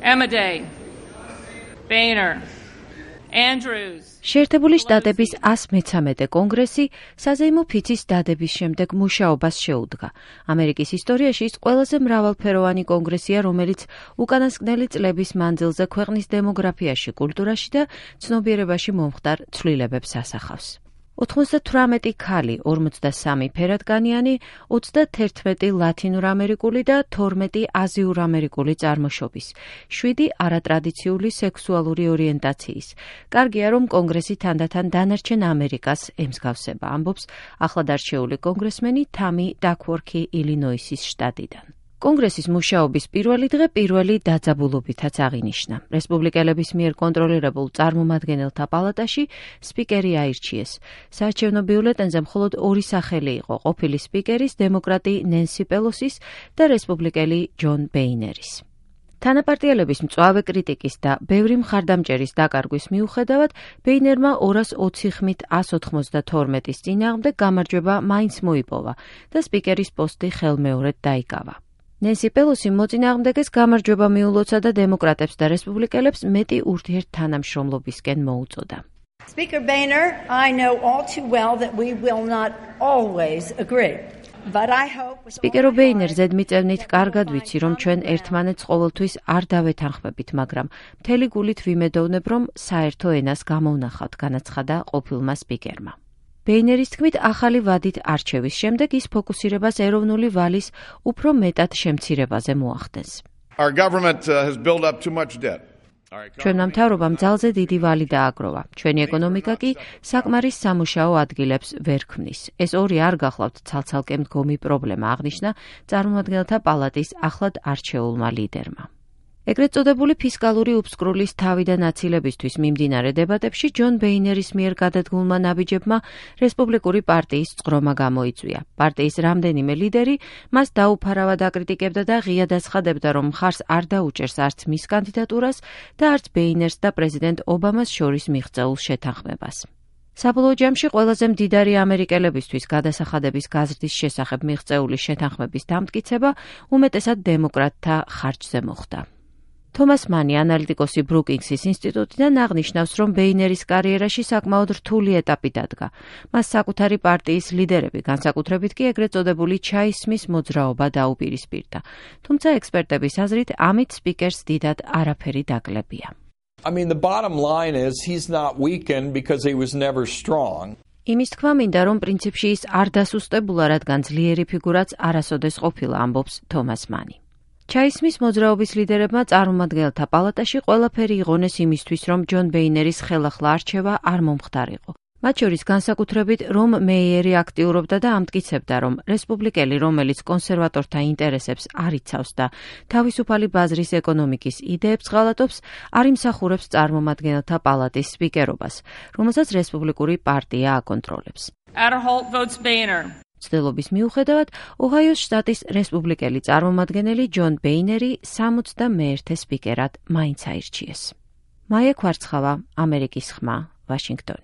Amedei, Boehner, Andrews. შეერთებული შტატების 113 კონგრესი საზეიმო ფიცის დადების შემდეგ მუშაობას შეუდგა. ამერიკის ისტორიაში ის ყველაზე მრავალფეროვანი კონგრესია, რომელიც უკანასკნელი წლების მანძილზე ქვეყნის დემოგრაფიაში, კულტურაში და ცნობიერებაში მომხდარ ცვლილებებს ასახავს. 98 ქალი, 43 ფერადკანიანი, 31 ლათინურამერიკული და 12 აზიურამერიკული წარმოშობის, 7 არატრადიციული სექსუალური ორიენტაციის. კარგია, რომ კონგრესი თანდათან დანარჩენ ამერიკას ემსგავსება, ამბობს ახლად არჩეული კონგრესმენი თამი დაქვორქი ილინოისის შტატიდან. კონგრესის მუშაობის პირველი დღე პირველი დაძაბულობითაც აღინიშნა. რესპუბლიკელების მიერ კონტროლირებულ წარმომადგენელთა პალატაში სპიკერი აირჩიეს. საარჩევნო ბიულეტენზე მხოლოდ ორი სახელი იყო, ყოფილი სპიკერის, დემოკრატი ნენსი პელოსის და რესპუბლიკელი ჯონ ბეინერის. თანაპარტიელების მწვავე კრიტიკის და ბევრი მხარდამჭერის დაკარგვის მიუხედავად, ბეინერმა 220 ხმით 192-ის წინააღმდეგ გამარჯვება მაინც მოიპოვა და სპიკერის პოსტი ხელმეორედ დაიკავა. ნენსი პელოსი მოწინააღმდეგეს გამარჯვება მიულოცა და დემოკრატებს და რესპუბლიკელებს მეტი ურთიერთთანამშრომლობისკენ მოუწოდა. Speaker Boehner, I know all too well that we will not always agree. But I hope სპიკერო ბეინერ ზედმიწევნით კარგად ვიცი, რომ ჩვენ ერთმანეთს ყოველთვის არ დავეთანხმებით, მაგრამ მთელი გულით ვიმედოვნებ, რომ საერთო ენას გამოვნახავთ, განაცხადა ყოფილმა სპიკერმა. ბეინერის თქმით, ახალი ვადით არჩევის შემდეგ ის ფოკუსირებას ეროვნული ვალის უფრო მეტად შემცირებაზე მოახდენს. Our government has built up too much debt. ჩვენმა მთავრობამ ძალზე დიდი ვალი დააგროვა. ჩვენი ეკონომიკა კი საკმარის სამუშაო ადგილებს ვერ ქმნის. ეს ორი არ გახლავთ ცალ-ცალკე მდგომი პრობლემა, აღნიშნა წარმომადგენელთა პალატის ახლად არჩეულმა ლიდერმა. ეგრეთ წოდებული ფისკალური უფსკრულის თავიდან აცილებისთვის მიმდინარე დებატებში ჯონ ბეინერის მიერ გადადგმულმა ნაბიჯებმა რესპუბლიკური პარტიის წყრომა გამოიწვია. პარტიის რამდენიმე ლიდერი მას დაუფარავად აკრიტიკებდა და ღიად აცხადებდა, რომ მხარს არ დაუჭერს არც მის კანდიდატურას და არც ბეინერს და პრეზიდენტ ობამას შორის მიღწეულ შეთანხმებას. საბოლოო ჯამში ყველაზე მდიდარი ამერიკელებისთვის გადასახადების გაზრდის შესახებ მიღწეული შეთანხმების დამტკიცება უმეტესად დემოკრატთა ხარჯზე მოხდა. თომას მანი, ანალიტიკოსი ბრუკინგსის ინსტიტუტიდან აღნიშნავს, რომ ბეინერის კარიერაში საკმაოდ რთული ეტაპი დადგა. მას საკუთარი პარტიის ლიდერები, განსაკუთრებით კი ეგრეთ წოდებული ჩაისმის მოძრაობა დაუპირისპირდა. თუმცა ექსპერტების აზრით, ამით სპიკერს დიდად არაფერი დაკლებია. I mean, the bottom line is he's not weakened because he was never strong. იმის თქმა მინდა, რომ პრინციპში ის არ დასუსტებულა, რადგან ძლიერი ფიგურაც არასოდეს ყოფილა, ამბობს თომას მანი. ჩაისმის მოძრაობის ლიდერებმა წარმომადგენელთა პალატაში ყველაფერი იღონეს იმისთვის, რომ ჯონ ბეინერის ხელახლა არჩევა არ მომხდარიყო. მათ შორის განსაკუთრებით რომ მეიერი აქტიურობდა და ამტკიცებდა, რომ რესპუბლიკელი, რომელიც კონსერვატორთა ინტერესებს არ იცავს და თავისუფალი ბაზრის ეკონომიკის იდეებს ღალატობს, არ იმსახურებს წარმომადგენელთა პალატის სპიკერობას, რომელსაც რესპუბლიკური პარტია აკონტროლებს. Adderholt votes Boehner. ცდილობის მიუხედავად, ოჰაიოს შტატის რესპუბლიკელი წარმომადგენელი ჯონ ბეინერი 61 სპიკერად მაინც აირჩიეს. მაია კვარცხავა, ამერიკის ხმა, ვაშინგტონი.